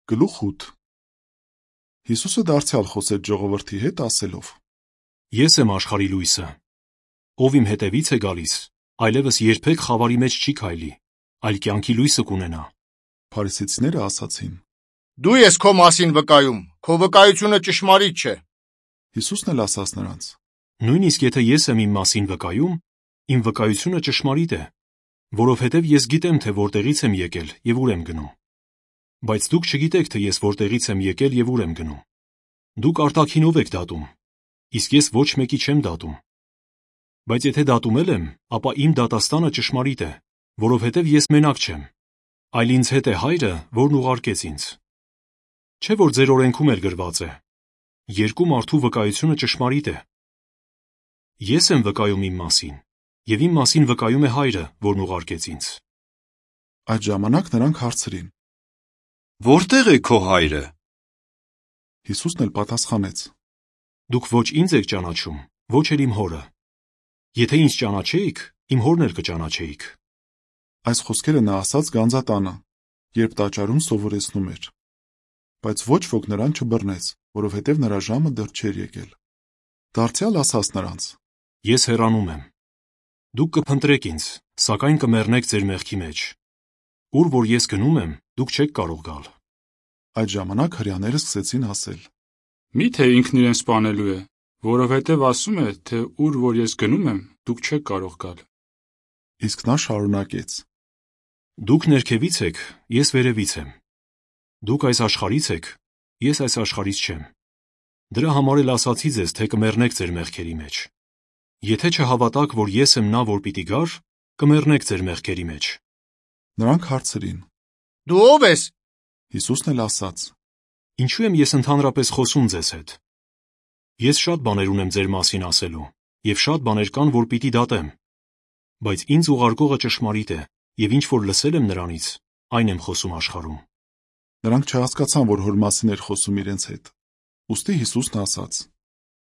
Գլուխ 8 Հիսուսը դարձյալ խոսեց ժողովրդի հետ ասելով. Ես եմ աշխարհի լույսը։ Ով իմ հետևից է գալիս, այլևս երբեք խավարի մեջ չի քայլի, այլ կյանքի լույսը կունենա։ Փարիսեցիները ասացին. Դու ես քո մասին վկայում, քո վկայությունը ճշմարիտ չէ։ Հիսուսն էլ ասաց նրանց. Նույնիսկ եթե ես եմ իմ մասին վկայում, իմ վկայությունը ճշմարիտ է, որովհետև ես գիտեմ, թե որտեղից եմ եկել եւ ուր եմ գնում։ Բայց դուք չգիտեք, թե ես որտեղից եմ եկել եւ ուր եմ գնում։ Դուք արտաքինով եք դատում, իսկ ես ոչ մեկի չեմ դատում։ Բայց եթե դատում եմ, ապա իմ դատաստանը ճշմարիտ է, որովհետև ես մենակ չեմ, այլ ինձ հետ է Հայրը, որն ուղարկեց ինձ։ Չէ՞ որ ձեր օրենքում էլ գրված է. երկու մարդու վկայությունը ճշմարիտ է։ Ես եմ վկայում իմ մասին, եւ իմ մասին վկայում է Հայրը, որն ուղարկեց ինձ։ Այդ ժամանակ նրանք հարցրին. Որտեղ է քո Հայրը։ Հիսուսն էլ պատասխանեց. Դուք ոչ ինձ եք ճանաչում, ոչ էլ իմ Հորը։ Եթե ինձ ճանաչեիք, իմ Հորն էլ կճանաչեիք։ Այս խոսքերը նա ասաց գանձատանը, երբ տաճարում սովորեցնում էր։ Բայց ոչ ոք նրան չբռնեց, որովհետև նրա ժամը դեռ չէր եկել։ Դարձյալ ասաց նրանց. Ես հեռանում եմ։ Դուք կփնտրեք ինձ, սակայն կմեռնեք ձեր մեղքի մեջ։ Ուր որ ես գնում եմ, դուք չեք կարող գալ։ Այդ ժամանակ հրեաները սկսեցին ասել. Մի՞թե ինքն իրեն սպանելու է, որովհետև ասում է, թե ուր որ ես գնում եմ, դուք չեք կարող գալ։ Իսկ նա շարունակեց. Դուք ներքևից եք, ես վերևից եմ։ Դուք այս աշխարհից եք, ես այս աշխարհից չեմ։ Դրա համար էլ ասացի ձեզ, թե կմեռնեք ձեր մեղքերի մեջ։ Եթե չհավատաք, որ ես եմ նա, որ պիտի գար, կմեռնեք ձեր մեղքերի մեջ։ Նրանք հարցրին. Դու ով ես։ Հիսուսն էլ ասաց. Ինչու եմ ես ընդհանրապես խոսում ձեզ հետ։ Ես շատ բաներ ունեմ ձեր մասին ասելու, եւ շատ բաներ կան, որ պիտի դատեմ։ Բայց ինձ ուղարկողը ճշմարիտ է, եւ ինչ որ լսել եմ նրանից, այն եմ խոսում աշխարհում։ Նրանք չհասկացան, որ հոր մասին էր խոսում իրենց հետ։ Ուստի Հիսուսն ասաց.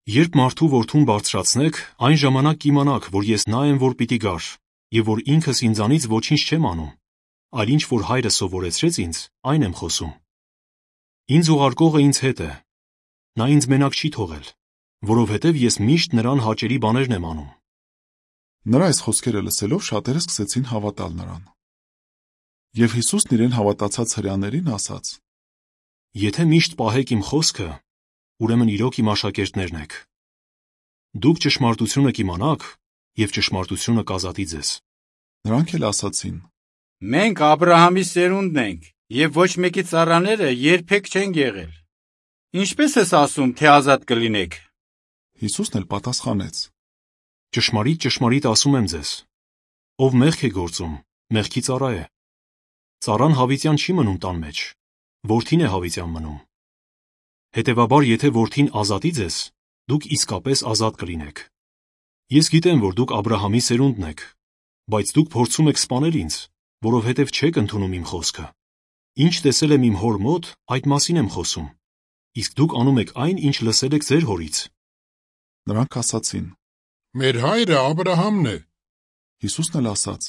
Երբ մարդու որդուն բարձրացնեք, այն ժամանակ կիմանաք, որ ես նա եմ, որ պիտի գար, եւ որ ինքս ինձանից ոչինչ չեմ անում, այլ ինչ որ Հայրը սովորեցրեց ինձ, այն եմ խոսում։ Ինձ ուղարկողը ինձ հետ է։ Նա ինձ մենակ չի թողել, որովհետև ես միշտ նրան հաճելի բաներն եմ անում։ Նրա այս խոսքերը լսելով շատերը սկսեցին հավատալ նրան։ Եվ Հիսուսն իրեն հավատացած հրեաներին ասաց. Եթե միշտ պահեք իմ խոսքը, ուրեմն իրոք իմ աշակերտներն եք։ Դուք ճշմարտությունը կիմանաք, եւ ճշմարտությունը կազատի ձեզ։ Նրանք էլ ասացին. Մենք Աբրահամի սերունդն ենք, եւ ոչ մեկի ծառաները երբեք չեն եղել։ Ինչպես ես ասում, թե ազատ կլինեք։ Հիսուսն էլ պատասխանեց. Ճշմարիտ, ճշմարիտ ասում եմ ձեզ. ով մեղք է գործում, մեղքի ծառա է։ Ծառան հավիտյան չի մնում տան մեջ, որդին է հավիտյան մնում։ Հետևաբար, եթե որդին ազատի ձեզ, դուք իսկապես ազատ կլինեք։ Ես գիտեմ, որ դուք Աբրահամի սերունդն եք, բայց դուք փորձում եք սպանել ինձ, որովհետև չեք ընդունում իմ խոսքը։ Ինչ տեսել եմ իմ հոր մոտ, այդ մասին եմ խոսում, իսկ դուք անում եք այն, ինչ լսել եք ձեր հորից։ Նրանք ասացին. Մեր հայրը Աբրահամն է։ Հիսուսն էլ ասաց.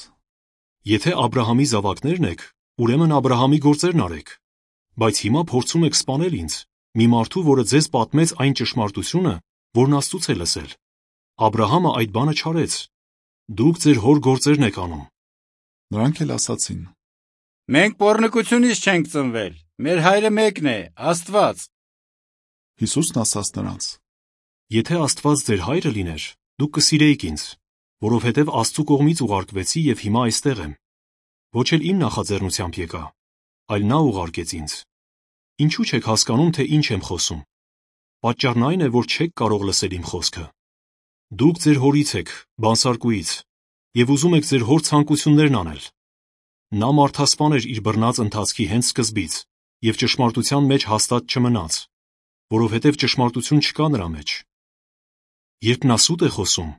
Եթե Աբրահամի զավակներն եք, ուրեմն Աբրահամի գործերն արեք, բայց հիմա փորձում եք սպանել ինձ, մի մարդու, որը ձեզ պատմեց այն ճշմարտությունը, որն Աստծուց է լսել։ Աբրահամը այդ բանը չարեց։ Դուք ձեր հոր գործերն եք անում։ Նրանք էլ ասացին. Մենք պոռնկությունից չենք ծնվել։ Մեր հայրը մեկն է, Աստված։ Հիսուսն ասաց նրանց. Եթե Աստված ձեր հայրը լիներ, դուք կսիրեիք ինձ, որովհետև Աստծու կողմից ուղարկվեցի եւ հիմա այստեղ եմ։ Ոչ էլ իմ նախաձեռնությամբ եկա, այլ նա ուղարկեց ինձ։ Ինչու չեք հասկանում, թե ինչ եմ խոսում։ Պատճառն այն է, որ չեք կարող լսել իմ խոսքը։ Դուք ձեր հորից եք, բանսարկուից, եւ ուզում եք ձեր հոր ցանկություններն անել։ Նա մարդասպան էր իր բռնած ընթացքի հենց սկզբից եւ ճշմարտության մեջ հաստատ չմնաց, որովհետև ճշմարտություն չկա նրա մեջ։ Երբ նա սուտ է խոսում,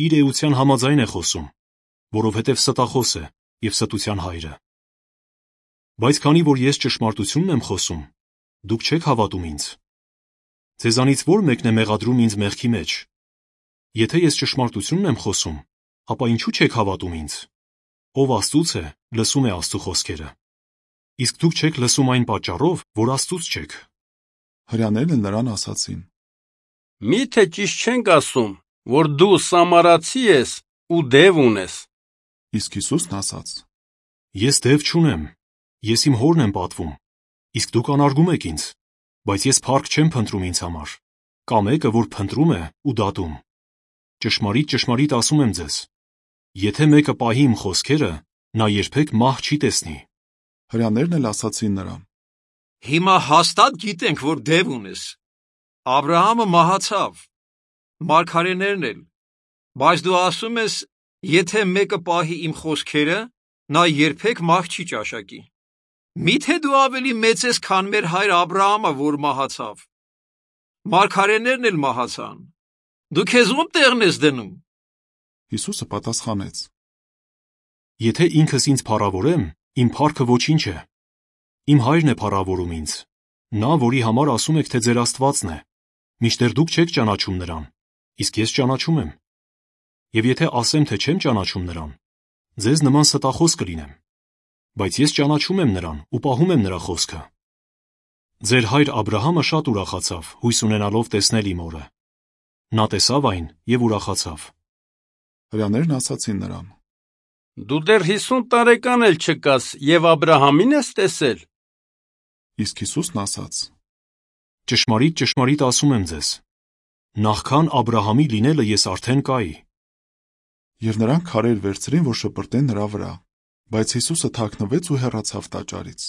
իր էության համաձայն է խոսում, որովհետև ստախոս է եւ ստության հայրը։ Բայց քանի որ ես ճշմարտությունն եմ խոսում, դուք չեք հավատում ինձ։ Ձեզանից ո՞ր մեկն է մեղադրում ինձ մեղքի մեջ։ Եթե ես ճշմարտությունն եմ խոսում, ապա ինչու չեք հավատում ինձ։ Ով Աստծուց է, լսում է Աստծու խոսքերը։ Իսկ դուք չեք լսում այն պատճառով, որ Աստծուց չեք։ Հրեաներն էլ նրան ասացին. Մի՞թե ճիշտ չենք ասում, որ դու սամարացի ես ու դև ունես։ Իսկ Հիսուսն ասաց. Ես դև չունեմ, ես իմ հորն եմ պատվում, իսկ դուք անարգում եք ինձ, բայց ես փառք չեմ փնտրում ինձ համար, կա մեկը, որ փնտրում է ու դատում։ Ճշմարիտ, ճշմարիտ ասում եմ ձեզ, եթե մեկը պահի իմ խոսքերը, նա երբեք մահ չի տեսնի։ Հրեաներն էլ ասացին նրան. Հիմա հաստատ գիտենք, որ դև ունես։ Աբրահամը մահացավ, մարգարեներն էլ, բայց դու ասում ես, եթե մեկը պահի իմ խոսքերը, նա երբեք մահ չի ճաշակի։ Միթե դու ավելի մեծ ես, քան մեր հայր Աբրահամը, որ մահացավ։ Մարգարեներն էլ մահացան։ Դու քեզ ում տեղն ես դնում։ Հիսուսը պատասխանեց. Եթե ինքս ինձ փառավորեմ, իմ փառքը ոչինչ է։ Իմ հայրն է փառավորում ինձ, նա, որի համար ասում եք, թե ձեր Աստվածն է, մինչդեռ դուք չեք ճանաչում նրան, իսկ ես ճանաչում եմ։ Եվ եթե ասեմ, թե չեմ ճանաչում նրան, ձեզ նման ստախոս կլինեմ, բայց ես ճանաչում եմ նրան ու պահում եմ նրա խոսքը։ Ձեր հայր Աբրահամը շատ ուրախացավ, հույս ունենալով տեսնել իմ օրը։ Նա տեսավ այն և ուրախացավ։ Հրեաներն ասացին նրան. Դու դեռ 50 տարեկան էլ չկաս և Աբրահամին ես տեսել։ Իսկ Հիսուսն ասաց. Ճշմարիտ, ճշմարիտ ասում եմ ձեզ, նախքան Աբրահամի լինելը ես արդեն կայի։ Եվ նրանք քարեր վերցրին, որ շպրտեն նրա վրա, բայց Հիսուսը թաքնվեց ու հեռացավ տաճարից։